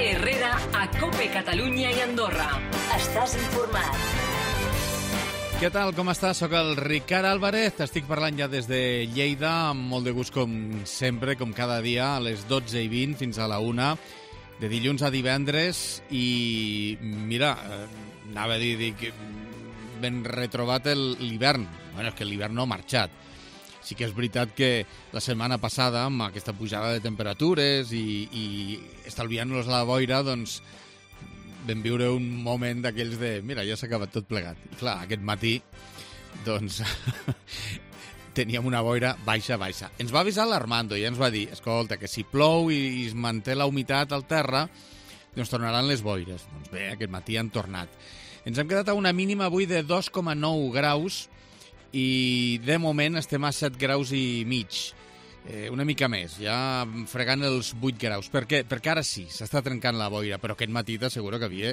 Roger Herrera a COPE Catalunya i Andorra. Estàs informat. Què tal, com estàs? Soc el Ricard Álvarez, t'estic parlant ja des de Lleida, amb molt de gust com sempre, com cada dia, a les 12:20 fins a la 1, de dilluns a divendres, i mira, anava a dir que ben retrobat l'hivern. Bueno, és que l'hivern no ha marxat. Sí que és veritat que la setmana passada, amb aquesta pujada de temperatures i estalviant-nos la boira, doncs vam viure un moment d'aquells de mira, ja s'ha acabat tot plegat. I clar, aquest matí doncs teníem una boira baixa. Ens va avisar l'Armando i ens va dir, escolta, que si plou i es manté la humitat al terra, doncs tornaran les boires. Doncs bé, aquest matí han tornat. Ens hem quedat a una mínima avui de 2,9 graus i de moment estem a 7 graus i mig. Una mica més, ja fregant els 8 graus. Per què? Perquè ara sí, s'està trencant la boira, però aquest matí t'asseguro que havia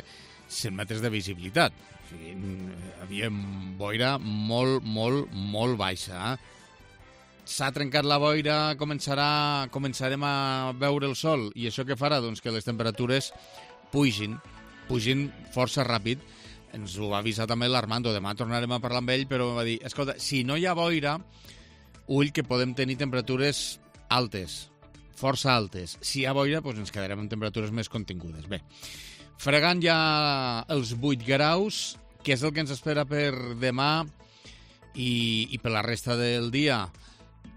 100 metres de visibilitat. O sigui, havia boira molt baixa. S'ha trencat la boira, començarem a veure el sol. I això què farà? Doncs que les temperatures pugin força ràpid. Ens ho va avisar també l'Armando. Demà tornarem a parlar amb ell, però va dir, escolta, si no hi ha boira, ull que podem tenir temperatures altes, força altes. Si hi ha boira, doncs ens quedarem amb temperatures més contingudes. Bé, fregant ja els 8 graus, que és el que ens espera per demà i per la resta del dia.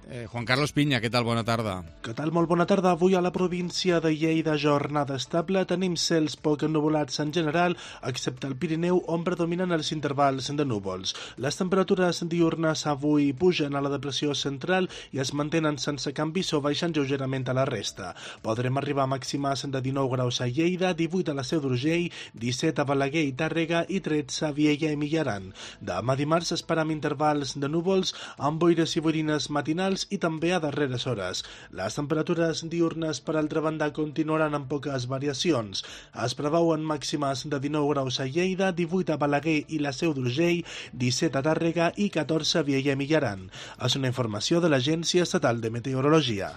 Juan Carlos Piña, què tal? Bona tarda. Què tal? Molt bona tarda. Avui a la província de Lleida, jornada estable. Tenim cels poc ennuvolats en general, excepte al Pirineu, on predominen els intervals de núvols. Les temperatures diurnes avui pugen a la depressió central i es mantenen sense canvis o baixen lleugerament a la resta. Podrem arribar a màximes de 19 graus a Lleida, 18 a la Seu d'Urgell, 17 a Balaguer i Tàrrega i 13 a Viella i Millaran. Demà dimarts esperam intervals de núvols amb boires i boirines matinals i també a darreres hores. Les temperatures diurnes, per altra banda, continuaran amb poques variacions. Es preveuen màximes de 19 graus a Lleida, 18 a Balaguer i la Seu d'Urgell, 17 a Tàrrega i 14 a Viella i Millaran. És una informació de l'Agència Estatal de Meteorologia.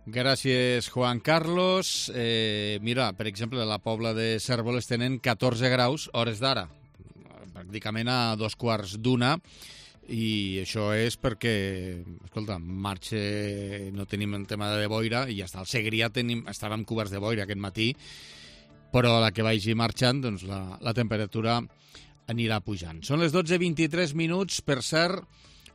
Gràcies, Juan Carlos. Mira, per exemple, a la Pobla de Cérvoles tenen 14 graus hores d'ara, pràcticament a 2:15, i això és perquè, escolta, marxa, no tenim el tema de boira i ja està. Al Segrià estàvem coberts de boira aquest matí, però a la que vagi marxant, doncs la temperatura anirà pujant. Són les 12:23, per cert,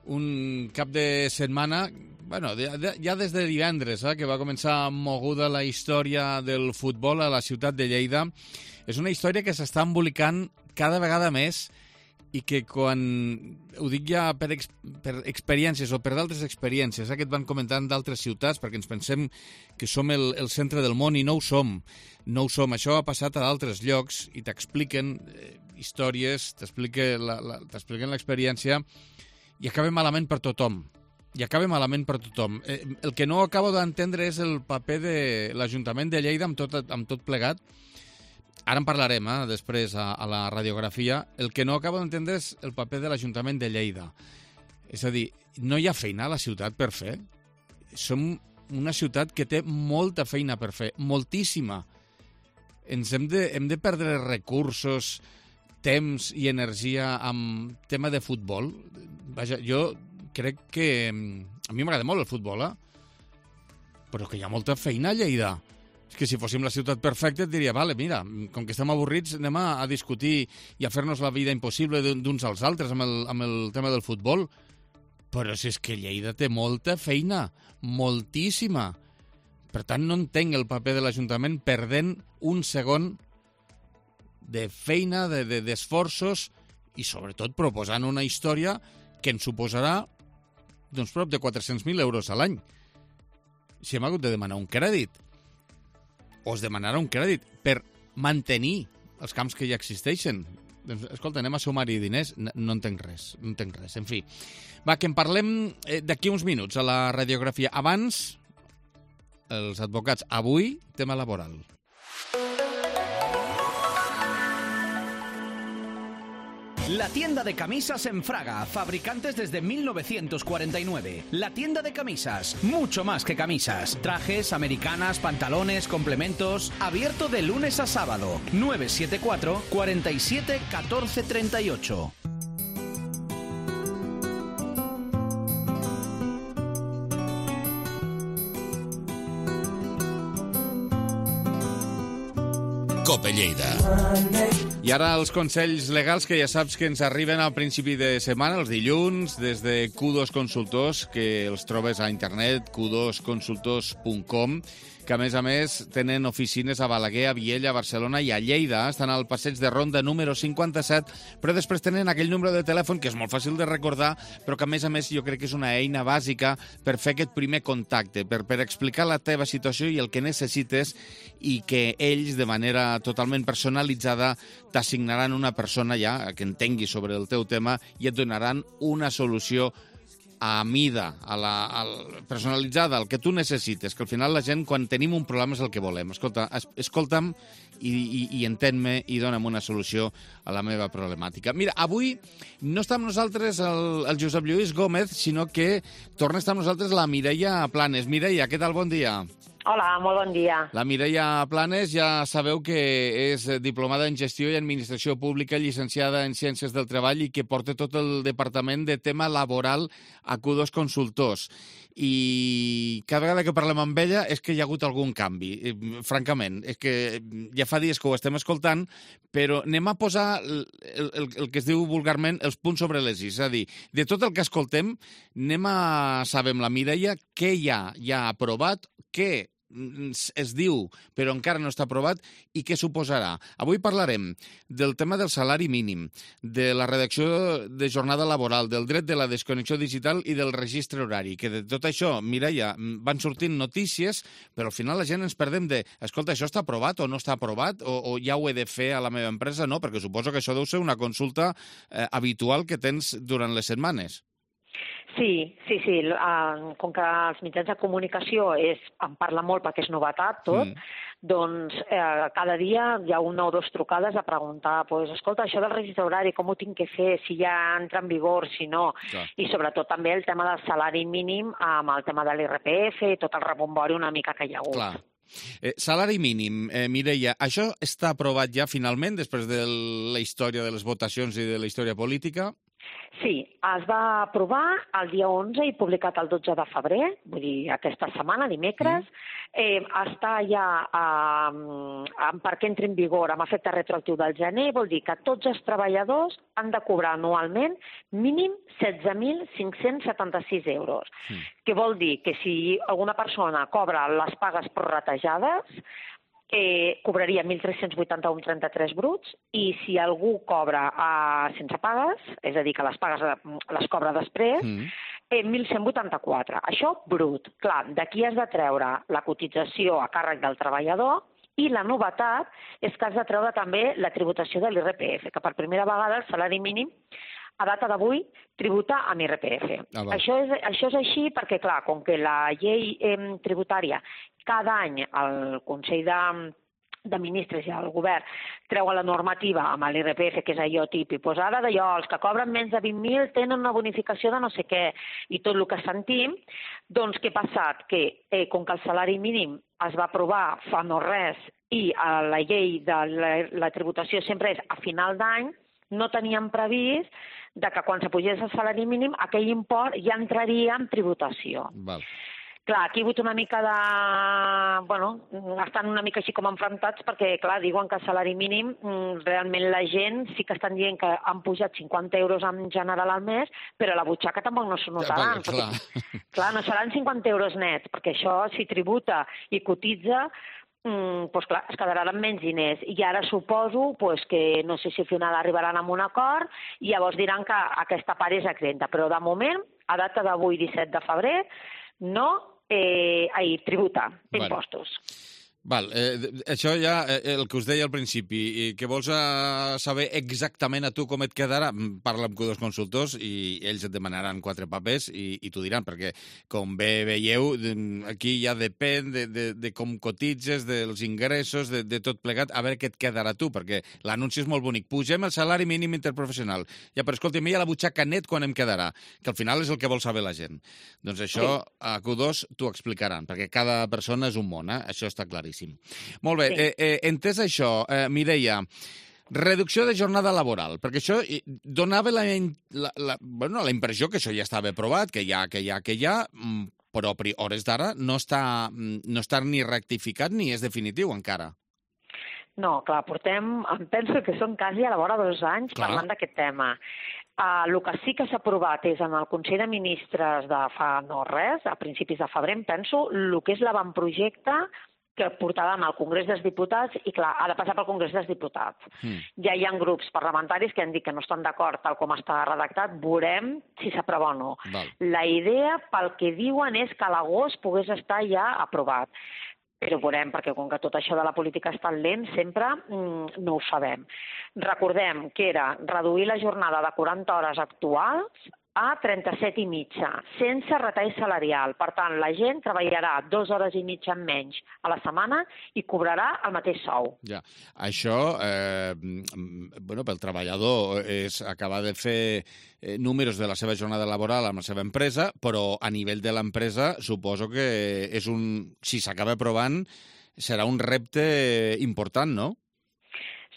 un cap de setmana, bueno, ja des de divendres, que va començar moguda la història del futbol a la ciutat de Lleida. És una història que s'està embolicant cada vegada més i que quan, ho dic ja per experiències o per d'altres experiències, que et van comentant d'altres ciutats, perquè ens pensem que som el centre del món i no ho som. Això ha passat a d'altres llocs i t'expliquen històries, t'expliquen l'experiència i acaba malament per tothom. El que no acabo d'entendre és el paper de l'Ajuntament de Lleida amb tot plegat. Ara en parlarem, després, a la radiografia. El que no acabo d'entendre és el paper de l'Ajuntament de Lleida. És a dir, no hi ha feina a la ciutat per fer. Som una ciutat que té molta feina per fer, moltíssima. Hem de perdre recursos, temps i energia amb tema de futbol. Vaja, jo crec que a mi m'agrada molt el futbol, però que hi ha molta feina a Lleida. És que si fóssim la ciutat perfecta et diria, vale, mira, com que estem avorrits anem a discutir i a fer-nos la vida impossible d'uns als altres amb el tema del futbol. Però si és que Lleida té molta feina, moltíssima. Per tant, no entenc el paper de l'Ajuntament perdent un segon de feina, d'esforços i sobretot proposant una història que ens suposarà doncs prop de 400.000 euros a l'any. Si hem hagut de demanar un crèdit, o es demanarà un crèdit per mantenir els camps que ja existeixen. Doncs, escolta, anem a sumar-hi diners. No entenc res. En fi, va, que en parlem d'aquí uns minuts a la radiografia. Abans, els advocats. Avui, tema laboral. La tienda de camisas en Fraga, fabricantes desde 1949. La tienda de camisas, mucho más que camisas. Trajes, americanas, pantalones, complementos. Abierto de lunes a sábado. 974 47 14 38. Cope Lleida. I ara els consells legals que ja saps que ens arriben al principi de setmana, els dilluns, des de Q2 Consultors, que els trobes a internet, q2consultors.com, que a més tenen oficines a Balaguer, a Viella, a Barcelona i a Lleida. Estan al passeig de Ronda número 57, però després tenen aquell número de telèfon que és molt fàcil de recordar, però que a més jo crec que és una eina bàsica per fer aquest primer contacte, per explicar la teva situació i el que necessites, i que ells, de manera totalment personalitzada, t'assignaran una persona ja que entengui sobre el teu tema i et donaran una solució a mida, personalitzada, el que tu necessites, que al final la gent, quan tenim un problema, és el que volem. Escolta'm i entén-me i dona'm una solució a la meva problemàtica. Mira, avui no està amb nosaltres el Josep Lluís Gómez, sinó que torna a estar amb nosaltres la Mireia Planes. Mireia, què tal? Bon dia. Hola, molt bon dia. La Mireia Planes, ja sabeu que és diplomada en Gestió i Administració Pública, llicenciada en Ciències del Treball i que porta tot el departament de tema laboral a Q2 Consultors. I cada vegada que parlem amb ella és que hi ha hagut algun canvi, francament. És que ja fa dies que ho estem escoltant, però anem a posar el que es diu vulgarment els punts sobre les is. És a dir, de tot el que escoltem, anem a saber amb la Mireia què ja ha aprovat, què es diu però encara no està aprovat i què suposarà. Avui parlarem del tema del salari mínim, de la redacció de jornada laboral, del dret de la desconnexió digital i del registre horari, que de tot això, Mireia, van sortint notícies, però al final la gent ens perdem de, escolta, això està aprovat o no està aprovat, o ja ho he de fer a la meva empresa? No, perquè suposo que això deu ser una consulta habitual que tens durant les setmanes. Sí. Com que els mitjans de comunicació en parla molt perquè és novetat tot, doncs cada dia hi ha una o dues trucades a preguntar, escolta, això del registre horari, com ho tinc que fer, si ja entra en vigor, si no, i sobretot també el tema del salari mínim amb el tema de l'IRPF i tot el rebombori una mica que hi ha hagut. Clar. Salari mínim, Mireia, això està aprovat ja finalment després de la història de les votacions i de la història política? Sí, es va aprovar el dia 11 i publicat el 12 de febrer, vull dir, aquesta setmana, dimecres. Està ja, perquè entri en vigor amb efecte retroactiu del gener, vol dir que tots els treballadors han de cobrar anualment mínim 16.576 euros. Que vol dir que si alguna persona cobra les pagues prorratejades, cobraria 1.381,33 bruts, i si algú cobra sense pagues, és a dir, que les pagues les cobra després, 1.184. Això brut. Clar, d'aquí has de treure la cotització a càrrec del treballador, i la novetat és que has de treure també la tributació de l'IRPF, que per primera vegada el salari mínim a data d'avui tributa amb IRPF. Això és així perquè, clar, com que la llei tributària cada any el Consell de Ministres i el Govern treuen la normativa amb l'IRPF, que és allò típic, ara d'allò, els que cobren menys de 20.000 tenen una bonificació de no sé què, i tot el que sentim, doncs què ha passat? Que com que el salari mínim es va aprovar fa no res i la llei de la tributació sempre és a final d'any, no teníem previst que quan s'apugés el salari mínim aquell import ja entraria en tributació. Clar, aquí hi ha hagut una mica de... estan una mica així com enfrontats perquè, clar, diuen que el salari mínim, realment la gent sí que estan dient que han pujat 50 euros en general al mes, però a la butxaca tampoc no s'ho notaran. Clar, no seran 50 euros nets, perquè això, si tributa i cotitza, doncs clar, es quedaran amb menys diners. I ara suposo que no sé si al final arribaran a un acord i llavors diran que aquesta part és exenta. Però de moment, a data d'avui, 17 de febrer, no tributa impostos. Val, això ja, el que us deia al principi, que vols saber exactament a tu com et quedarà, parla amb Q2 Consultors i ells et demanaran 4 papers i t'ho diran, perquè com bé veieu, aquí ja depèn de com cotitzes, dels ingressos, de tot plegat, a veure què et quedarà a tu, perquè l'anunci és molt bonic. Pugem el salari mínim interprofessional. Ja, però escolta, a la butxaca net quan em quedarà, que al final és el que vol saber la gent. Doncs això a Q2 t'ho explicaran, perquè cada persona és un món, això està claríssim. Molt bé, sí. Entès això, Mireia, reducció de jornada laboral, perquè això donava la impressió que això ja estava aprovat, que ja, però a hores d'ara no està ni rectificat ni és definitiu encara. No, clar, penso que són quasi a la vora 2 anys parlant d'aquest tema. El que sí que s'ha aprovat és en el Consell de Ministres de fa no res, a principis de febrer, penso, el que és l'avantprojecte que portàvem al Congrés dels Diputats i, clar, ha de passar pel Congrés dels Diputats. Ja hi ha grups parlamentaris que han dit que no estan d'acord tal com està redactat, veurem si s'aprova o no. Val. La idea, pel que diuen, és que a l'agost pogués estar ja aprovat. Però veurem, perquè com que tot això de la política és tan lent, sempre no ho sabem. Recordem que era reduir la jornada de 40 hores actuals a 37 i mitja, sense retall salarial. Per tant, la gent treballarà 2 hores i mitja menys a la setmana i cobrarà el mateix sou. Ja, això, pel treballador és acabar de fer números de la seva jornada laboral amb la seva empresa, però a nivell de l'empresa suposo que és si s'acaba aprovant, serà un repte important, no?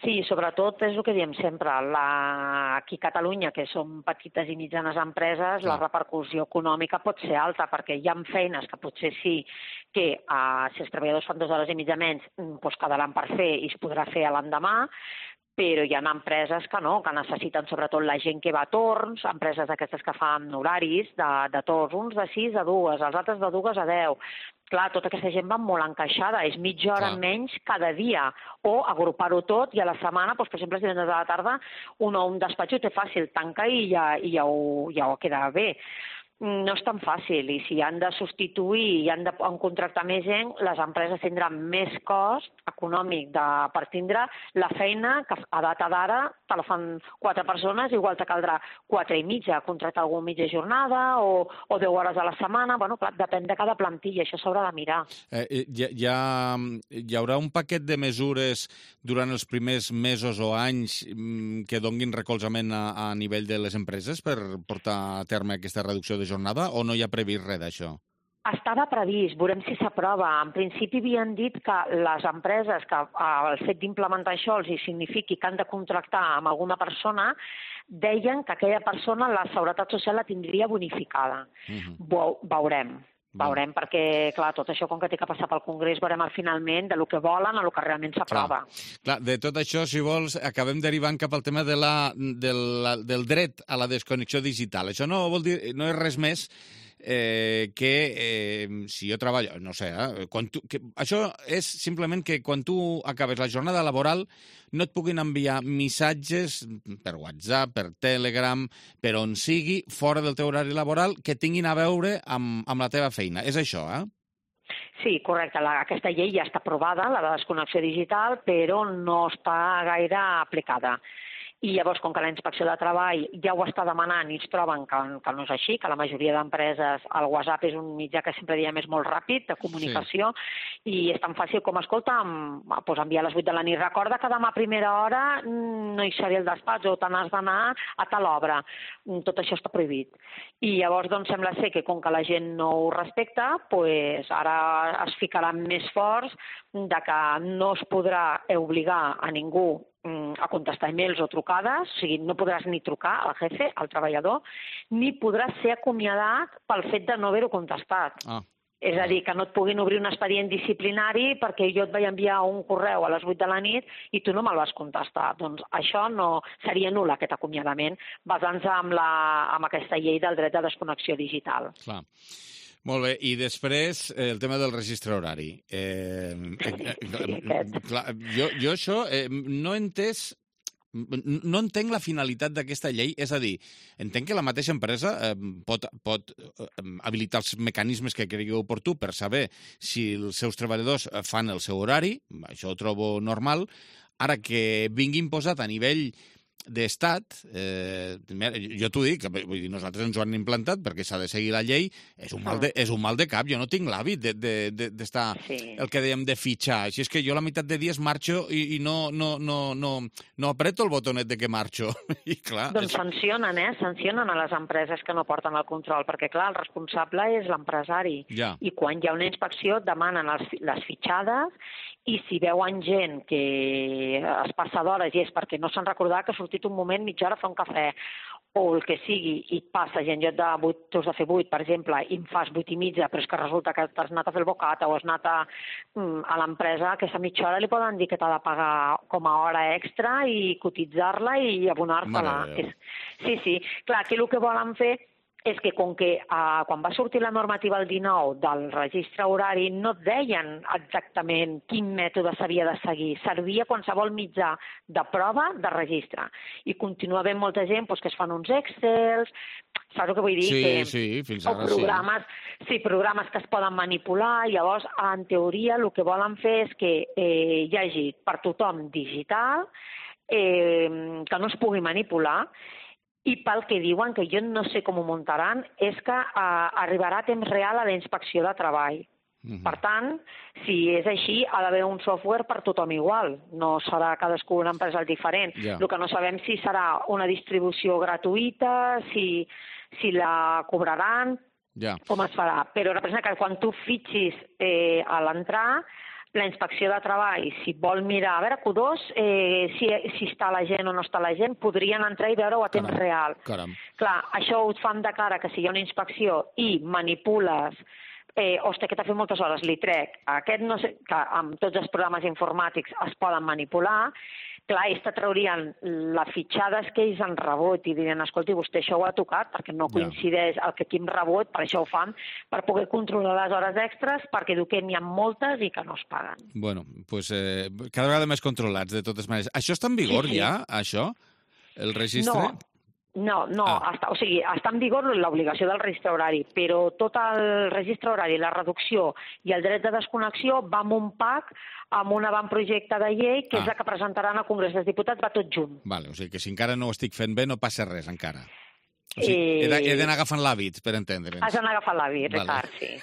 Sí, sobretot és el que diem sempre. Aquí a Catalunya, que som petites i mitjanes empreses, la repercussió econòmica pot ser alta, perquè hi ha feines que potser sí que si els treballadors fan 2 hores i mitja menys, doncs quedaran per fer i es podrà fer a l'endemà, però hi ha empreses que no, que necessiten sobretot la gent que va a torns, empreses d'aquestes que fan horaris de torns, uns de 6 a 2, els altres de 2 a 10. Clar, tota aquesta gent va molt encaixada, és mitja hora menys cada dia, o agrupar-ho tot i a la setmana, doncs, per exemple, si divendres a la tarda un despatx ho té fàcil, tanca i ja ho queda bé. No és tan fàcil, i si han de substituir i han de contractar més gent, les empreses tindran més cost econòmic per tindre la feina que a data d'ara te la fan 4 persones, igual te caldrà 4 i mitja, contractar algú mitja jornada o 10 hores a la setmana. Bueno, clar, depèn de cada plantilla, això s'haurà de mirar. Hi haurà un paquet de mesures durant els primers mesos o anys que donguin recolzament a nivell de les empreses per portar a terme aquesta reducció de jornada, o no hi ha previst res d'això? Estava previst, veurem si s'aprova. En principi havien dit que les empreses, que el fet d'implementar això els signifiqui que han de contractar amb alguna persona, deien que aquella persona la Seguretat Social la tindria bonificada. Veurem. Veurem, perquè, clar, tot això, com que té que passar pel Congrés, veurem finalment del que volen a lo que realment s'aprova. Clar, de tot això, si vols, acabem derivant cap al tema del dret a la desconnexió digital. Això no vol dir, no és res més que si jo treballo, no sé, això és simplement que quan tu acabes la jornada laboral no et puguin enviar missatges per WhatsApp, per Telegram, per on sigui, fora del teu horari laboral, que tinguin a veure amb la teva feina. És això, Sí, correcte. Aquesta llei ja està aprovada, la de desconnexió digital, però no està gaire aplicada. I llavors, com que la Inspecció de Treball ja ho està demanant i ens troben que no és així, que la majoria d'empreses, el WhatsApp és un mitjà que sempre diem és molt ràpid, de comunicació, i és tan fàcil com, escolta, enviar a les 8 de la nit. Recorda que demà a primera hora no hi seré al despatx o te n'has d'anar a tal obra. Tot això està prohibit. I llavors, doncs, sembla ser que com que la gent no ho respecta, doncs ara es ficaran més forts de que no es podrà obligar a ningú a contestar e-mails o trucades, o sigui, no podràs ni trucar al jefe, al treballador, ni podràs ser acomiadat pel fet de no haver-ho contestat. És a dir, que no et puguin obrir un expedient disciplinari perquè jo et vaig enviar un correu a les 8 de la nit i tu no me'l vas contestar. Doncs això no seria nul, aquest acomiadament, basant-se en aquesta llei del dret de desconnexió digital. Clar. Molt bé, i després el tema del registre horari. Clar, jo això no he entès no entenc la finalitat d'aquesta llei, és a dir, entenc que la mateixa empresa pot habilitar els mecanismes que cregui oportú per saber si els seus treballadors fan el seu horari, això ho trobo normal. Ara que vingui imposat a nivell d'estat, jo t'ho dic, vull dir, nosaltres ens ho han implantat perquè s'ha de seguir la llei, és un mal de cap, jo no tinc l'hàbit d'estar, el que dèiem, de fitxar, així és que jo la meitat de dies marxo i no apreto el botonet de que marxo. I clar, doncs sancionen a les empreses que no porten el control, perquè clar, el responsable és l'empresari, i quan hi ha una inspecció demanen les fitxades, i si veuen gent que es passa d'hores i és perquè no s'han recordat que ha sortit un moment mitja hora a fer un cafè o el que sigui i et passa gent, jo tu has de fer 8, per exemple, i em fas 8 i mitja, però és que resulta que t'has anat a fer el bocata o has anat a l'empresa, aquesta mitja hora li poden dir que t'ha de pagar com a hora extra i cotitzar-la i abonar-te-la. Sí. Clar, aquí el que volen fer és que com que quan va sortir la normativa el 19 del registre horari no et deien exactament quin mètode s'havia de seguir, servia qualsevol mitjà de prova de registre. I continua havent molta gent que es fan uns Excels, saps el que vull dir? Sí, fins ara programes, programes que es poden manipular, llavors en teoria el que volen fer és que hi hagi per tothom digital, que no es pugui manipular. I pel que diuen, que jo no sé com ho muntaran, és que arribarà a temps real a la inspecció de treball. Per tant, si és així, ha d'haver un software per tothom igual. No serà cadascú una empresa diferent. El que no sabem si serà una distribució gratuïta, si la cobraran, com es farà. Però representa que quan tu fitxis a l'entrar, la inspecció de treball, si vol mirar, a veure, Q2, si està la gent o no està la gent, podrien entrar i veure-ho a temps real. Clar, això ho fan de cara que si hi ha una inspecció i manipules, hòstia, que t'ha fet moltes hores, li trec. Aquest no sé, que amb tots els programes informàtics es poden manipular. Clar, ells te traurien les fitxades que ells han rebut i dirien, escolti, vostè això ho ha tocat perquè no coincideix el que aquí hem rebut, per això ho fan, per poder controlar les hores extres, perquè diu que n'hi ha moltes i que no es paguen. Bueno, doncs cada vegada més controlats, de totes maneres. Això està en vigor ja, això? El registre? No, o sigui, està en vigor l'obligació del registre horari, però tot el registre horari, la reducció i el dret de desconnexió va amb un pack, amb un avantprojecte de llei, que és la que presentaran al Congrés dels Diputats, va tot junt. Vale, o sigui que si encara no ho estic fent bé no passa res encara. O sigui, he d'anar agafant l'hàbit, per entendre'ns. Has d'anar agafant l'hàbit, Ricard, sí.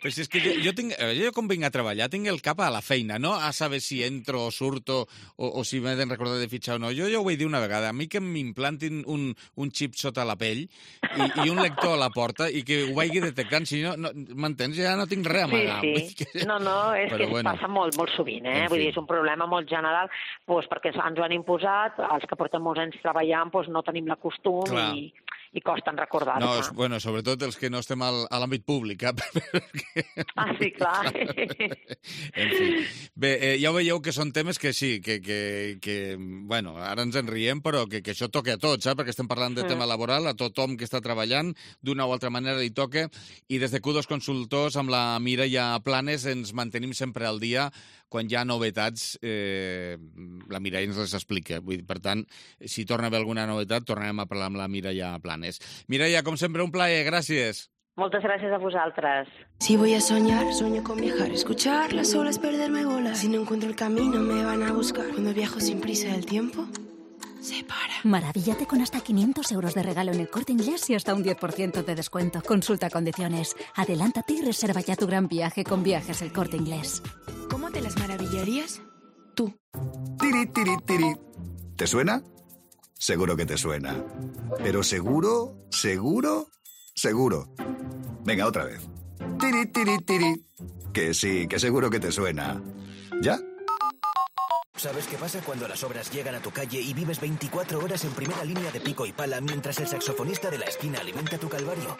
Però si és que jo com vinc a treballar tinc el cap a la feina, no a saber si entro o surto o si m'he de recordar de fitxar o no. Jo ho he dit una vegada, a mi que m'implantin un xip sota la pell i un lector a la porta i que ho vagi detectant, si no m'entens? Ja no tinc res a amagar. Sí. No, és que passa molt sovint, vull dir, és un problema molt general, perquè ens ho han imposat, els que portem molts anys treballant no tenim la costum i costen recordar-se. No, sobretot els que no estem a l'àmbit públic. Sí, clar. En fi. Bé, ja ho veieu que són temes que sí, que bueno, ara ens en riem, però que això toca a tots, perquè estem parlant de tema laboral, a tothom que està treballant, d'una o altra manera li toca, i des de Q2 Consultors, amb la Mireia Planes, ens mantenim sempre al dia. Quan hi ha novetats, la Mireia ens les explica. Per tant, si torna a haver alguna novetat, tornarem a parlar amb la Mireia Planes. Mireia, com sempre, un plaer. Gràcies. Moltes gràcies a vosaltres. Si voy a soñar, sueño con viajar. Escuchar las olas, perderme, volar. Si no encuentro el camino, me van a buscar. Cuando viajo sin prisa, el tiempo se para. Maravíllate con hasta 500 euros de regalo en El Corte Inglés y hasta un 10% de descuento. Consulta condiciones. Adelántate y reserva ya tu gran viaje con Viajes El Corte Inglés. ¿Cómo te las maravillarías? Tú. Tiri, tiri, tiri. ¿Te suena? Seguro que te suena. Pero seguro, seguro, seguro. Venga, otra vez. Tiri, tiri, tiri. Que sí, que seguro que te suena. ¿Ya? ¿Sabes qué pasa cuando las obras llegan a tu calle y vives 24 horas en primera línea de pico y pala mientras el saxofonista de la esquina alimenta tu calvario?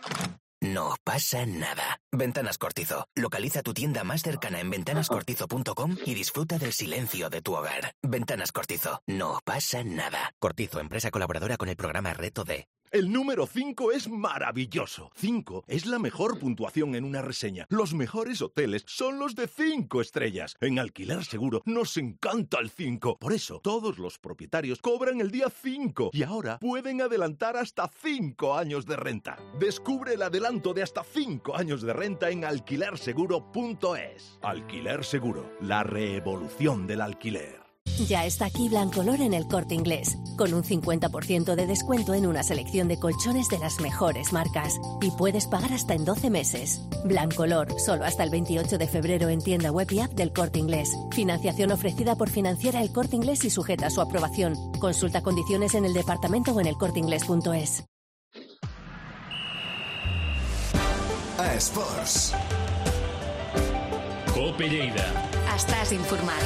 No pasa nada. Ventanas Cortizo. Localiza tu tienda más cercana en ventanascortizo.com y disfruta del silencio de tu hogar. Ventanas Cortizo. No pasa nada. Cortizo, empresa colaboradora con el programa Reto D. El número 5 es maravilloso. 5 es la mejor puntuación en una reseña. Los mejores hoteles son los de 5 estrellas. En Alquiler Seguro nos encanta el 5. Por eso, todos los propietarios cobran el día 5 y ahora pueden adelantar hasta 5 años de renta. Descubre el adelanto de hasta 5 años de renta en alquilerseguro.es. Alquiler Seguro, la revolución del alquiler. Ya está aquí Blancolor en El Corte Inglés, con un 50% de descuento en una selección de colchones de las mejores marcas. Y puedes pagar hasta en 12 meses. Blancolor, solo hasta el 28 de febrero en tienda web y app del Corte Inglés. Financiación ofrecida por Financiera El Corte Inglés y sujeta a su aprobación. Consulta condiciones en el departamento o en elcorteingles.es. A Esports. Cope Lleida. Estàs informat.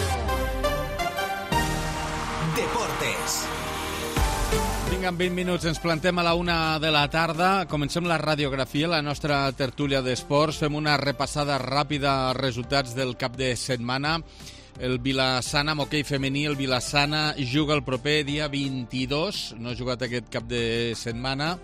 Deportes. Vinga, en 20 minuts ens plantem a la 1 de la tarda. Comencem la radiografia, la nostra tertúlia d'esports. Fem una repassada ràpida als resultats del cap de setmana. El Vilassana, amb hoquei femení, el Vilassana juga el proper dia 22. No ha jugat aquest cap de setmana.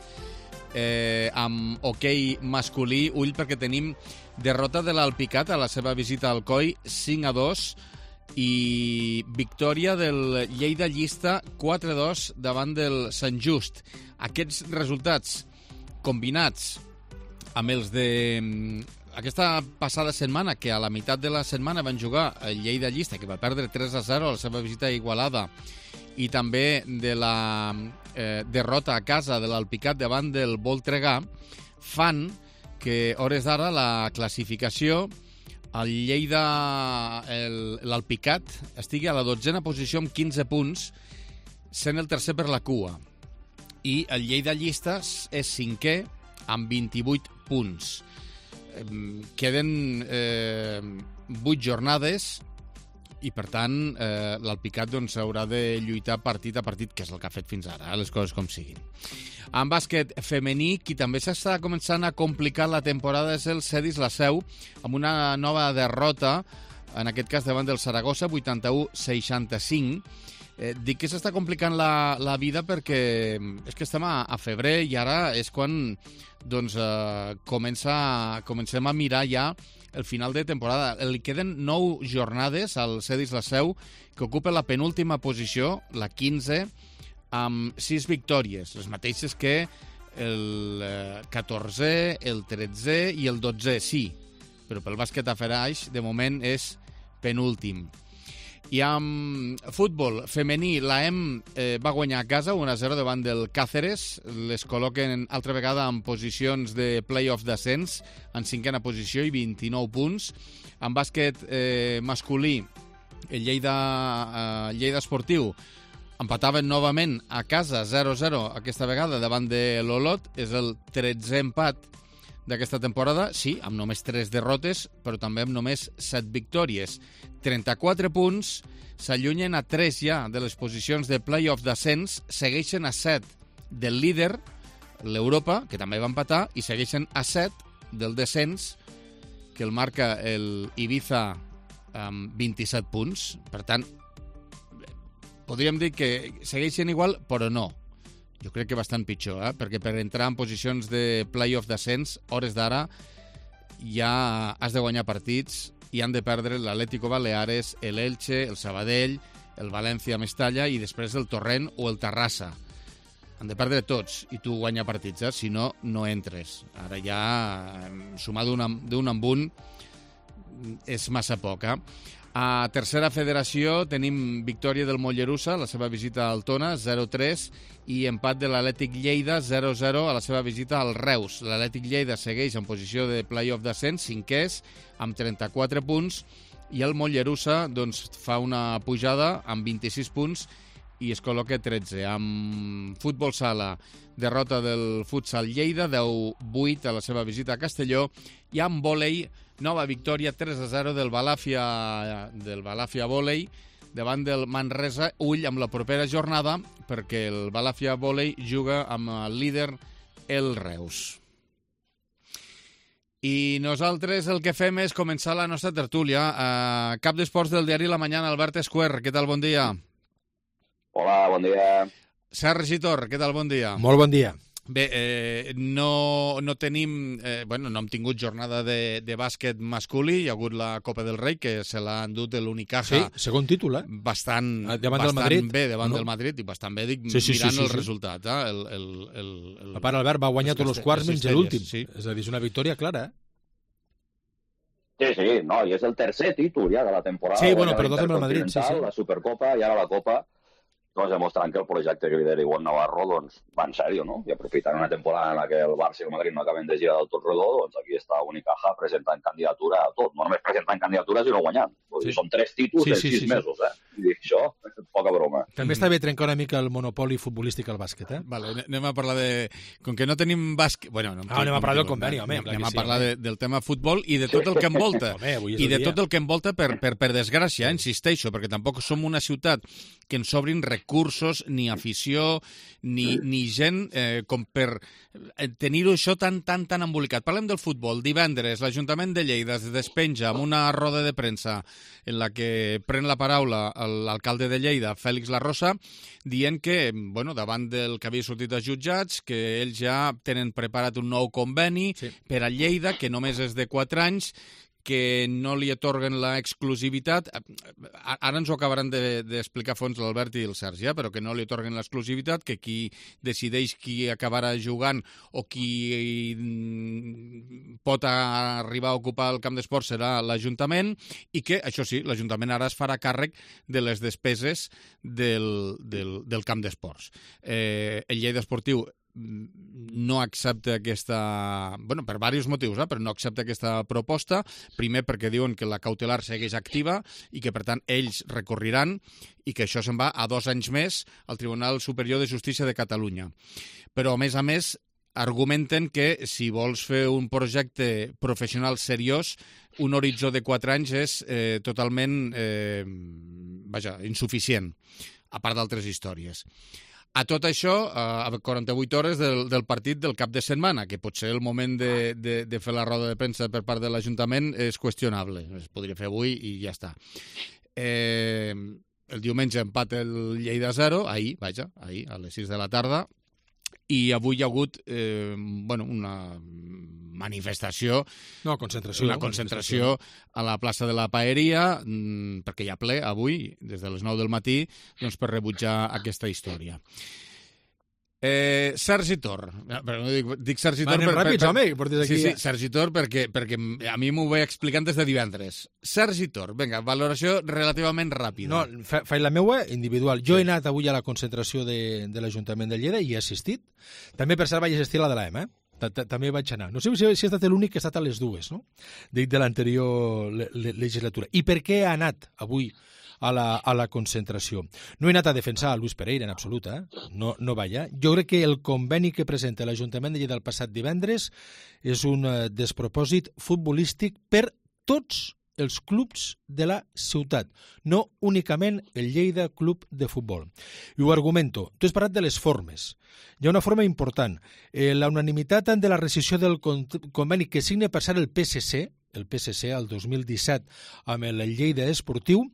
Amb hoquei masculí. Ull, perquè tenim derrota de l'Alpicat a la seva visita al Coi, 5-2. I victòria del Lleida Llista 4-2 davant del Sant Just. Aquests resultats combinats amb els de aquesta passada setmana, que a la meitat de la setmana van jugar el Lleida Llista, que va perdre 3-0 a la seva visita a Igualada, i també de la derrota a casa de l'Alpicat davant del Voltregà, fan que, hores d'ara, la classificació, el Lleida, l'Alpicat, estigui a la 12a posició amb 15 punts, sent el tercer per la cua. I el Lleida Llista és 5è amb 28 punts. Queden 8 jornades i, per tant, l'Alpicat haurà de lluitar partit a partit, que és el que ha fet fins ara, les coses com siguin. En bàsquet femení, qui també s'està començant a complicar la temporada és el Cedis La Seu, amb una nova derrota, en aquest cas davant del Saragossa, 81-65. Dic que s'està complicant la vida perquè és que estem a febrer i ara és quan comencem a mirar ja el final de temporada. Li queden 9 jornades al Cedis La Seu, que ocupa la penúltima posició, la 15, amb 6 victòries, les mateixes que el 14è, el 13è i el 12è, sí, però pel bàsquet a Feraix, de moment, és penúltim. I amb futbol femení, l'AEM va guanyar a casa 1-0 davant del Càceres. Les col·loquen altra vegada en posicions de play-off d'ascens, en 5a posició i 29 punts. En bàsquet masculí, el Lleida Esportiu empataven novament a casa 0-0 aquesta vegada davant de l'Olot. És el 13è empat d'aquesta temporada, sí, amb només 3 derrotes, però també amb només 7 victòries. 34 punts, s'allunyen a 3 ja de les posicions de play-off d'ascens, segueixen a 7 del líder, l'Europa, que també va empatar, i segueixen a 7 del descens, que el marca el Ibiza amb 27 punts. Per tant, podríem dir que segueixen igual, però no. Jo crec que bastant pitjor, perquè per entrar en posicions de play-off d'ascens, hores d'ara, ja has de guanyar partits i han de perdre l'Atlético Baleares, l'Elche, el Sabadell, el València Mestalla i després el Torrent o el Terrassa. Han de perdre tots i tu guanyar partits, si no, no entres. Ara ja sumar d'un amb un és massa poc. A tercera federació tenim victòria del Mollerussa, la seva visita a Altona, 0-3, i empat de l'Atlètic Lleida, 0-0, a la seva visita al Reus. L'Atlètic Lleida segueix en posició de play-off d'ascens, 5è, amb 34 punts, i el Mollerussa fa una pujada amb 26 punts i es col·loca 13. Amb futbol sala, derrota del Futsal Lleida, 10-8 a la seva visita a Castelló, i amb vòlei, nova victòria 3-0 del Balàfia Vòlei davant del Manresa. Ull amb la propera jornada, perquè el Balàfia Vòlei juga amb el líder, el Reus. I nosaltres el que fem és començar la nostra tertúlia. Cap d'esports del diari La Mañana, Albert Esquer, què tal, bon dia? Hola, bon dia. Sergi Tor, què tal, bon dia? Molt bon dia. Bé, no tenim... no hem tingut jornada de bàsquet masculí, hi ha hagut la Copa del Rei, que se l'ha endut l'Unicaja. Sí, segon títol, Bastant bé davant del Madrid, i bastant bé, dic, mirant el resultat. El pare Albert va guanyar tots els quarts menys l'últim. És a dir, és una victòria clara, Sí, no, i és el tercer títol ja de la temporada. Sí, bueno, però dos amb el Madrid, sí. La Supercopa i ara la Copa, doncs demostrant que el projecte que lidera Igual Navarro doncs, va en sèrio, no? I aprofitant una temporada en la que el Barça i el Madrid no acaben de girar del tot rodó, doncs aquí està Unicaja presentant candidatura a tot. No només presentant candidatura, sinó guanyant. Sí. Són 3 títols en 6 mesos, I dic, això, poca broma. També està bé trencar una mica el monopoli futbolístic al bàsquet, Vale, anem a parlar de... Com que no tenim bàsquet... Bueno, anem a parlar del conveni, home. Anem a parlar del tema futbol i de tot el que envolta. I de tot el que envolta, per desgràcia, insisteixo, perquè tampoc som una ciutat que ens obrin recursos, ni afició, ni gent com per tenir-ho això tan embolicat. Parlem del futbol. Divendres, l'Ajuntament de Lleida es despenja amb una roda de premsa en la que pren la paraula l'alcalde de Lleida, Fèlix Larrosa, dient que, davant del que havia sortit als jutjats, que ells ja tenen preparat un nou conveni per a Lleida, que només és de 4 anys, que no li atorguen l'exclusivitat. Ara ens ho acabaran d'explicar a fons l'Albert i el Sergi, però que no li atorguen l'exclusivitat, que qui decideix qui acabarà jugant o qui pot arribar a ocupar el camp d'esport serà l'Ajuntament, i que, això sí, l'Ajuntament ara es farà càrrec de les despeses del camp d'esports. El Lleida Esportiu no accepta aquesta... per diversos motius, però no accepta aquesta proposta. Primer, perquè diuen que la cautelar segueix activa i que, per tant, ells recorriran i que això se'n va a 2 anys més al Tribunal Superior de Justícia de Catalunya. Però, a més, argumenten que si vols fer un projecte professional seriós, un horitzó de 4 anys és totalment insuficient, a part d'altres històries. A tot això, a 48 hores del partit del cap de setmana, que potser el moment de fer la roda de premsa per part de l'Ajuntament és qüestionable. Es podria fer avui i ja està. El diumenge empat el Lleida 0, ahir, a les 6 de la tarda, i avui hi ha hagut una manifestació, una concentració a la plaça de la Paeria, perquè hi ha ple avui, des de les 9 del matí, per rebutjar aquesta història. Sergi Tor. Dic Sergi Tor... Anem ràpids, home, portes aquí... Sí, Sergi Tor, perquè a mi m'ho vaig explicant des de divendres. Sergi Tor, vinga, valoració relativament ràpida. No, faig la meua individual. Jo he anat avui a la concentració de l'Ajuntament de Lleida i he assistit. També, per cert, vaig assistir a la de l'AEM, també vaig anar. No sé si he estat l'únic que ha estat a les 2, no? De l'anterior legislatura. I per què he anat avui a la concentració? No he anat a defensar a Luis Pereira, en absolut, no va allà. Jo crec que el conveni que presenta l'Ajuntament de Lleida el passat divendres és un despropòsit futbolístic per tots els clubs de la ciutat, no únicament el Lleida Club de Futbol. I ho argumento. Tu has parlat de les formes. Hi ha una forma important. La unanimitat de la rescissió del conveni que signa per ser el PSC al 2017 amb el Lleida Esportiu,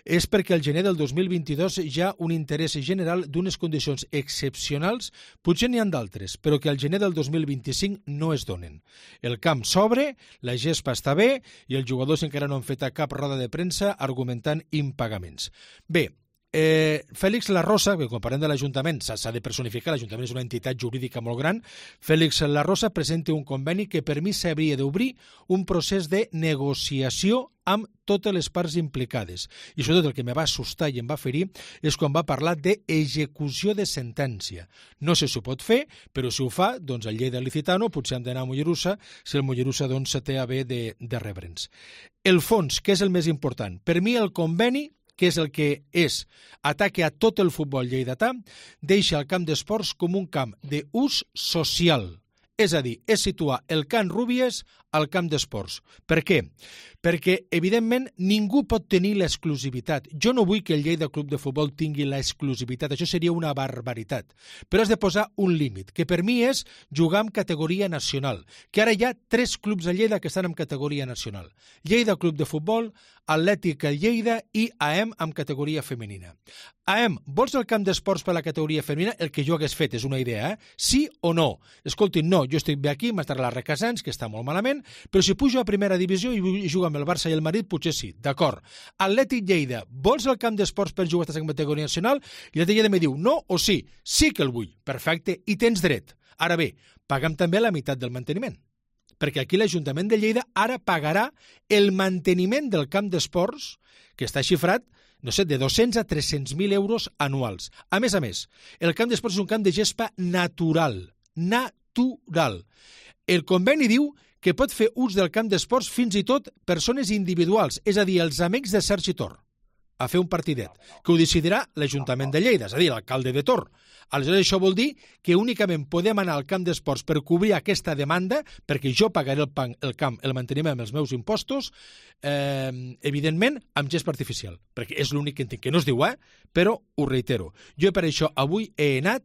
és perquè al gener del 2022 hi ha un interès general d'unes condicions excepcionals, potser n'hi ha d'altres, però que al gener del 2025 no es donen. El camp s'obre, la gespa està bé i els jugadors encara no han fet cap roda de premsa argumentant impagaments. Bé, Fèlix Larrosa, que quan parlem de l'Ajuntament s'ha de personificar, l'Ajuntament és una entitat jurídica molt gran, Fèlix Larrosa presenta un conveni que per mi s'hauria d'obrir un procés de negociació amb totes les parts implicades. I sobretot el que me va assustar i em va ferir és quan va parlar d'execució de sentència. No sé si ho pot fer, però si ho fa, doncs el Lleida Licitano potser hem d'anar a Mollerussa, si el Mollerussa doncs té a bé de rebre'ns. El fons, que és el més important. Per mi el conveni, que és el que és ataque a tot el futbol lleidatà, deixa el camp d'esports com un camp d'ús social. És a dir, és situar el Can Rúbies al camp d'esports. Per què? Perquè, evidentment, ningú pot tenir l'exclusivitat. Jo no vull que el Lleida Club de Futbol tingui l'exclusivitat, això seria una barbaritat. Però has de posar un límit, que per mi és jugar en categoria nacional, que ara hi ha 3 clubs a Lleida que estan en categoria nacional. Lleida Club de Futbol, Atlètic Lleida i AEM amb categoria femenina. AEM, vols el camp d'esports per la categoria femenina? El que jo hagués fet és una idea, Sí o no? Escolti, no, jo estic bé aquí, m'estarà la Requesens, que està molt malament, però si pujo a primera divisió i jugo amb el Barça i el Madrid, potser sí, d'acord. Atlètic Lleida, vols el camp d'esports per jugar a la categoria nacional? I l'Atlètic Lleida me diu, no o sí? Sí que el vull, perfecte, i tens dret. Ara bé, paga'm també la meitat del manteniment. Perquè aquí l'Ajuntament de Lleida ara pagarà el manteniment del camp d'esports, que està xifrat, no sé, de 200 a 300.000 euros anuals. A més, el camp d'esports és un camp de gespa natural. El conveni diu que pot fer ús del camp d'esports fins i tot persones individuals, és a dir, els amics de Sergi Tor, a fer un partidet, que ho decidirà l'Ajuntament de Lleida, és a dir, l'alcalde de Tor. Aleshores, això vol dir que únicament podem anar al camp d'esports per cobrir aquesta demanda, perquè jo pagaré el manteniment amb els meus impostos, evidentment, amb gespa artificial, perquè és l'únic que entenc, que no es diu, però ho reitero. Jo per això avui he anat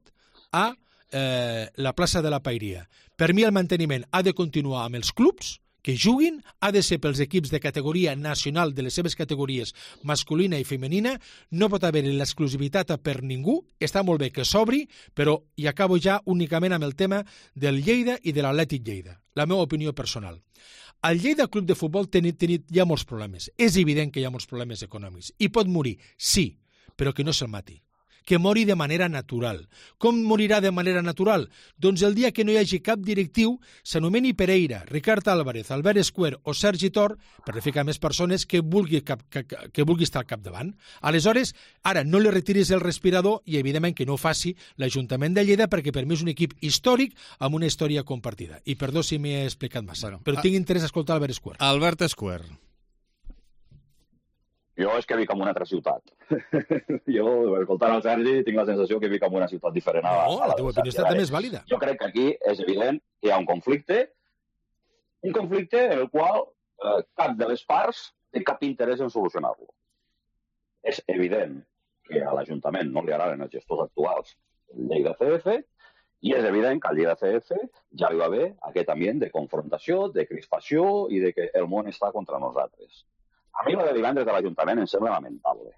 a la plaça de la Paeria. Per mi el manteniment ha de continuar amb els clubs, que juguin, ha de ser pels equips de categoria nacional de les seves categories masculina i femenina, no pot haver l'exclusivitat per ningú, està molt bé que s'obri, però i acabo ja únicament amb el tema del Lleida i de l'Atlètic Lleida, la meva opinió personal. Al Lleida Club de Futbol hi ha molts problemes, és evident que hi ha molts problemes econòmics, i pot morir, sí, però que no se'l mati. Que mori de manera natural. Com morirà de manera natural? Doncs el dia que no hi hagi cap directiu, s'anomeni Pereira, Ricard Álvarez, Albert Escuer o Sergi Tor, per ficar més persones que vulgui estar al capdavant. Aleshores, ara no li retiris el respirador i evidentment que no ho faci l'Ajuntament de Lleida, perquè per mi és un equip històric amb una història compartida. I perdó si m'he explicat massa, però tinc interès a escoltar Albert Escuer. Albert Escuer. Jo és que vic en una altra ciutat. Jo, escoltant el Sergi, tinc la sensació que vic en una ciutat diferent. No, la teva opinió està també és vàlida. Jo crec que aquí és evident que hi ha un conflicte en el qual cap de les parts té cap interès en solucionar-lo. És evident que a l'Ajuntament no li agraden els gestors actuals del Lleida CF i és evident que al Lleida CF ja hi va haver aquest ambient de confrontació, de crispació i de que el món està contra nosaltres. A mi la de divendres de l'Ajuntament em sembla lamentable.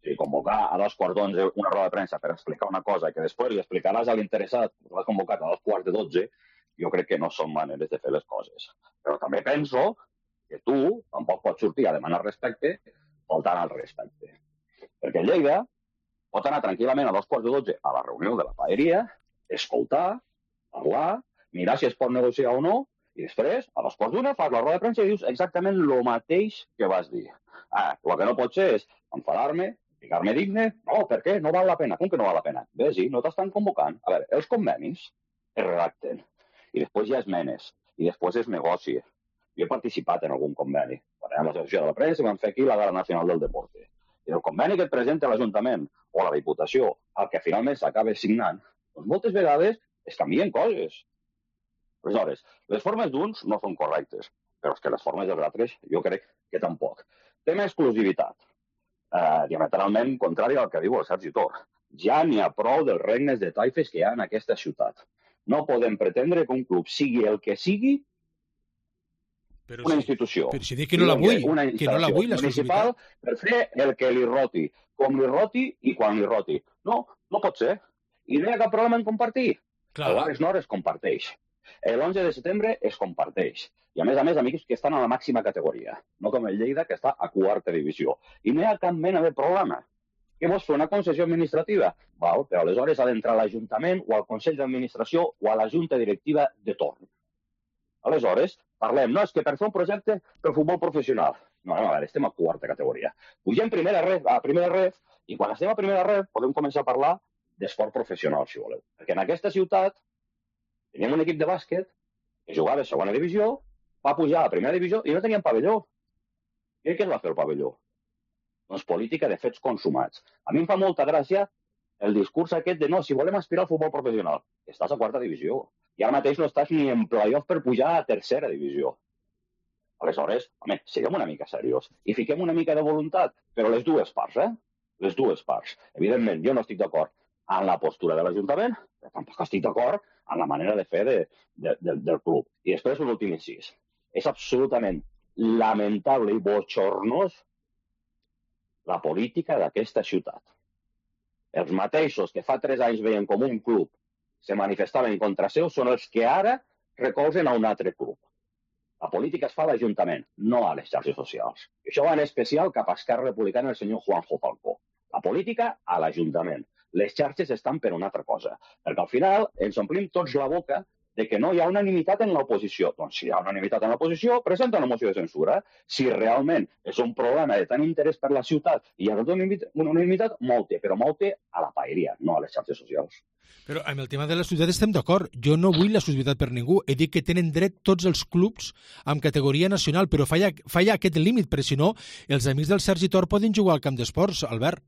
Si convocar a 2:15 una roda de premsa per explicar una cosa que després li explicaràs a l'interessat que l'has convocat a 2:12, jo crec que no són maneres de fer les coses. Però també penso que tu tampoc pots sortir a demanar respecte faltant al respecte. Perquè Lleida pot anar tranquil·lament a 2:12 a la reunió de la Paeria, escoltar, parlar, mirar si es pot negociar o no, i després, a 2:15, fas la roda de premsa i dius exactament el mateix que vas dir. El que no pot ser és enfadar-me, ficar-me digne. No, per què? No val la pena. Com que no val la pena? Bé, sí, no t'estan convocant. A veure, els convenis es redacten, i després hi ha esmenes, i després es negocia. Jo he participat en algun conveni. Quan érem a l'associació de la premsa vam fer aquí la Gala Nacional del Deporte. I el conveni que et presenta l'Ajuntament o la Diputació, el que finalment s'acaba signant, doncs moltes vegades es canvien coses. Aleshores, les formes d'uns no són correctes, però és que les formes dels altres jo crec que tampoc. Tema exclusivitat. Diametralment contrari al que diu el Sergi Tor. Ja n'hi ha prou dels regnes de taifes que hi ha en aquesta ciutat. No podem pretendre que un club sigui el que sigui una institució. Però si dic que no la vull, que no la vull, municipal per fer el que li roti, com li roti i quan li roti. No, no pot ser. I no hi ha cap problema en compartir. El Bares Nord es comparteix. L'11 de setembre es comparteix. I a més, amics que estan a la màxima categoria. No com el Lleida, que està a quarta divisió. I no hi ha cap mena de problema. Què vols fer, una concessió administrativa? Val, però aleshores ha d'entrar a l'Ajuntament o al Consell d'Administració o a la Junta Directiva de torn. Aleshores, parlem, no, és que per fer un projecte pel futbol professional. No, a veure, estem a quarta categoria. Pugem a primera ref, i quan estem a primera ref podem començar a parlar d'esport professional, si voleu. Perquè en aquesta ciutat teníem un equip de bàsquet que jugava a segona divisió, va pujar a primera divisió i no teníem pavelló. I què es va fer el pavelló? Doncs política de fets consumats. A mi em fa molta gràcia el discurs aquest de no, si volem aspirar al futbol professional, estàs a quarta divisió. I ara mateix no estàs ni en playoff per pujar a tercera divisió. Aleshores, home, siguem una mica seriós i fiquem una mica de voluntat, però les dues parts, Les dues parts. Evidentment, jo no estic d'acord en la postura de l'Ajuntament, però tampoc estic d'acord en la manera de fer del club. I després un últim incís. És absolutament lamentable i bochornós la política d'aquesta ciutat. Els mateixos que fa 3 anys veien com un club se manifestaven contra seu són els que ara recolzen a un altre club. La política es fa a l'Ajuntament, no a les xarxes socials. I això va en especial cap a Esquerra Republicana el senyor Juanjo Falcó. La política a l'Ajuntament. Les xarxes estan per una altra cosa. Perquè al final ens omplim tots la boca de que no hi ha unanimitat en l'oposició. Doncs si hi ha unanimitat en l'oposició, presenta una moció de censura. Si realment és un problema de tant interès per la ciutat i hi ha una unanimitat, molt, però molt a la paeria, no a les xarxes socials. Però amb el tema de l'exclusivitat estem d'acord. Jo no vull l'exclusivitat per ningú. He dit que tenen dret tots els clubs amb categoria nacional, però falla aquest límit, perquè si no, els amics del Sergi Tor poden jugar al camp d'esports, Albert.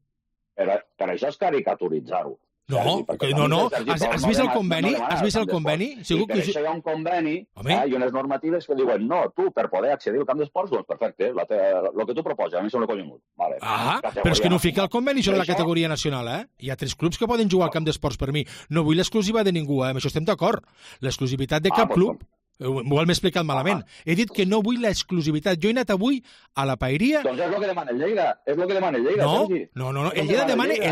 Per això és caricaturitzar-ho. No. Has vist el conveni? Has vist el conveni? Sí, per això hi ha un conveni i unes normatives que diuen no, tu, per poder accedir al camp d'esports, doncs perfecte, el que tu proposes, a mi sembla collonut. Però és que no fica el conveni sobre la categoria nacional, Hi ha 3 clubs que poden jugar al camp d'esports per mi. No vull l'exclusiva de ningú, amb això estem d'acord. L'exclusivitat de cap club... M'ho m'he explicat malament. He dit que no vull l'exclusivitat. Jo he anat avui a la paeria... Doncs és el que demana el Lleida. És el que demana el Lleida, Sergi. No. El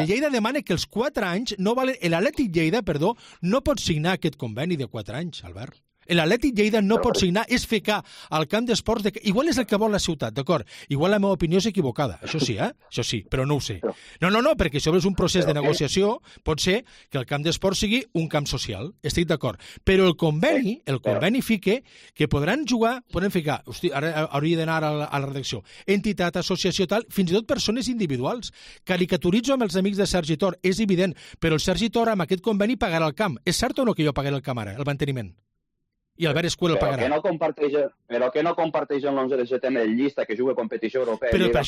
Lleida demana que els 4 anys no valen... L'Atlètic Lleida, perdó, no pot signar aquest conveni de 4 anys, Albert. L'Atlètic Lleida no pot signar, és ficar al camp d'esports... Igual és el que vol la ciutat, d'acord? Igual la meva opinió és equivocada, això sí, Això sí, però no ho sé. No, perquè això és un procés de negociació, pot ser que el camp d'esports sigui un camp social, estic d'acord. Però el conveni fica que podran ficar, hosti, ara hauria d'anar a la redacció, entitat, associació, tal, fins i tot persones individuals. Caricaturitzo amb els amics de Sergi Tor, és evident, però el Sergi Tor amb aquest conveni pagarà el camp. És cert o no que jo pagaré el camp ara, el manteniment? I Albert Escuela el pagarà. Però que no comparteixen l'11 de setembre el llista que juga a competició europea. Però per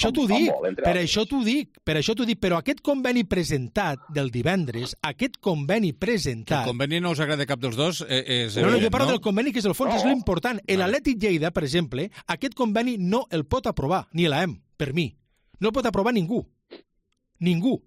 això t'ho dic, però aquest conveni presentat del divendres, Que el conveni no us agrada cap dels dos és... No, jo parlo del conveni, que és el fons, és l'important. L'Atlètic Lleida, per exemple, aquest conveni no el pot aprovar, ni l'AEM, per mi. No el pot aprovar ningú. Ningú.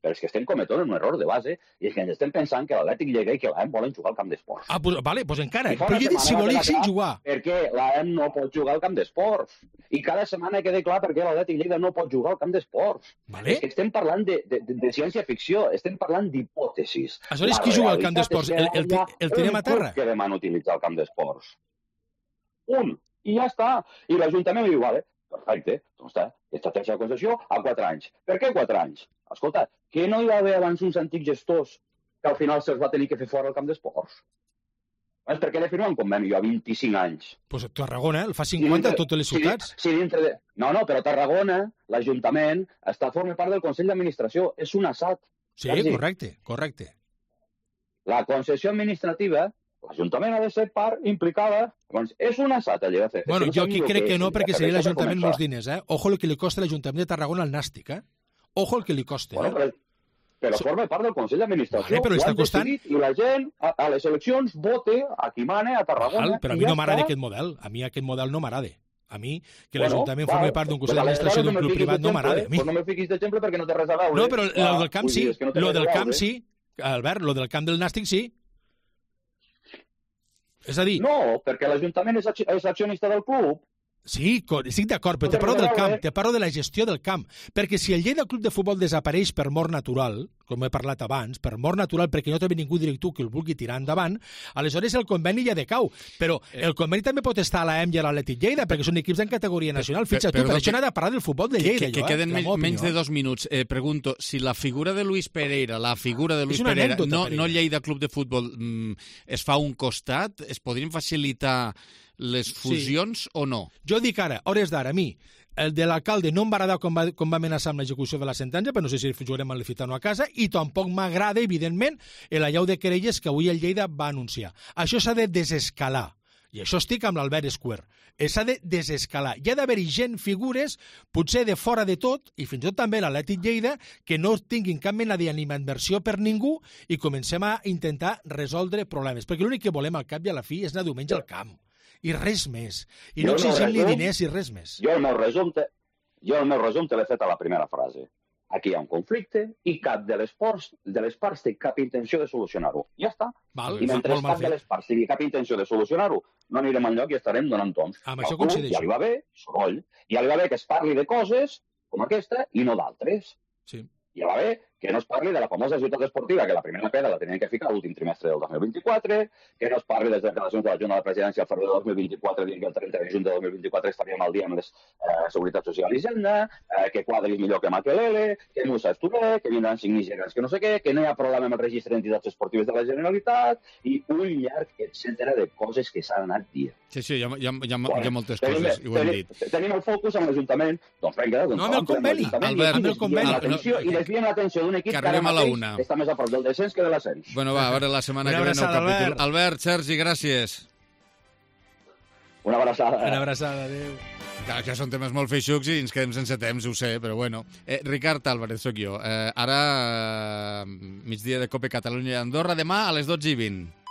Però és que estem cometent un error de base i és que ens estem pensant que l'Atlètic Lleida i que l'AEM volen jugar al camp d'esports. Doncs encara. Però jo he dit si volguessin jugar. Perquè l'AEM no pot jugar al camp d'esports. I cada setmana queda clar perquè l'Atlètic Lleida no pot jugar al camp d'esports. És que estem parlant de ciència-ficció, estem parlant d'hipòtesis. Aleshores, qui juga al camp d'esports? El tenim a terra? Que demana utilitzar el camp d'esports. Un. I ja està. I l'Ajuntament diu, vale, perfecte, doncs està, estratègia de concessió a 4 anys. Per què 4 anys? Escolta, que no hi va haver abans uns antics gestors que al final se'ls va tenir que fer fora al camp d'esports? Per què de firmar un conveni a 25 anys? Doncs Tarragona, el fa 50 a totes les ciutats. No, però Tarragona, l'Ajuntament, forma part del Consell d'Administració. És un assat. Sí, correcte. La concessió administrativa, l'Ajuntament ha de ser part implicada. Doncs és un assat, allà de fer. Bueno, jo aquí crec que no, perquè seria l'Ajuntament molts diners, Ojo el que li costa l'Ajuntament de Tarragona al Nàstic, Ojo el que li costa, Però forma part del Consell d'Administració. Però està costant... I la gent, a les eleccions, vote a qui mane a Tarragona. Però a mi no m'agrada aquest model. A mi aquest model no m'agrada. A mi, que l'Ajuntament formi part d'un Consell d'Administració d'un club privat, no m'agrada. Pues no me fiquis d'exemple perquè no té res a veure. No, però lo del camp sí. Lo del camp sí. Albert, lo del camp del Nàstic sí. És a dir... No, perquè l'Ajuntament és accionista del club. Sí, estic d'acord, però te parlo del camp, te parlo de la gestió del camp. Perquè si el Lleida Club de Futbol desapareix per mort natural, com he parlat abans, per mort natural perquè no té ningú directiu que el vulgui tirar endavant, aleshores el conveni ja decau. Però el conveni també pot estar a l'AEM i a l'Atlètic Lleida, perquè són equips en categoria nacional. Fixa't tu, per això n'ha de parlar del futbol de Lleida. Que queden menys de 2 minuts. Pregunto, si la figura de Luis Pereira, no Lleida Club de Futbol, es fa un costat, es podrien facilitar les fusions o no? Jo dic ara, hores d'ara, a mi, el de l'alcalde no em va agradar com va amenaçar amb l'execució de la sentència, però no sé si jugarem a l'Alfitano a casa, i tampoc m'agrada, evidentment, l'allau de querelles que avui el Lleida va anunciar. Això s'ha de desescalar. I això estic amb l'Albert Esquer. S'ha de desescalar. Hi ha d'haver-hi gent, figures, potser de fora de tot, i fins i tot també l'Atlètic Lleida, que no tinguin cap mena d'animadversió per ningú i comencem a intentar resoldre problemes. Perquè l'únic que volem al cap i a la fi és anar diumenge al camp. I res més. I no exigim-li diners i res més. Jo el meu resum te l'he fet a la primera frase. Aquí hi ha un conflicte i cap de les parts té cap intenció de solucionar-ho. Ja està. I mentre cap de les parts tingui cap intenció de solucionar-ho, no anirem enlloc i estarem donant toms. Amb això coincideixo. Ja li va bé, soroll. Ja li va bé que es parli de coses com aquesta i no d'altres. Sí. Ja va bé que no es parli de la famosa ciutat esportiva, que la primera pedra la tenien que ficar l'últim trimestre del 2024, que no es parli de les declaracions de la Junta de la Presidència al febrer del 2024, dient que el 30 de juny de 2024 estaríem al dia amb les Seguretat Social i Hisenda, que quadris millor que Makelele, que Musa Esturé, que vindran 5 nigerians que no sé què, que no hi ha problema amb el registre d'entitats esportives de la Generalitat, i un llarg, etcètera, de coses que s'han anat dient. Sí, hi ha moltes coses, i ho hem dit. Tenim el focus amb l'Ajuntament, doncs vinga, no, amb el conveni, Albert, amb el conveni. I desviem l'atenció d'un equip que ara mateix està més a prop del descens que de l'ascens. Bueno, va, a veure la setmana que ve nou capítol. Albert, Sergi, gràcies. Una abraçada. Una abraçada, adéu. Clar, que són temes molt feixucs i ens quedem sense temps, ho sé, però bueno. Ricard Álvarez, sóc jo. Ara, migdia de Copa Catalunya i Andorra, demà a les 12:20.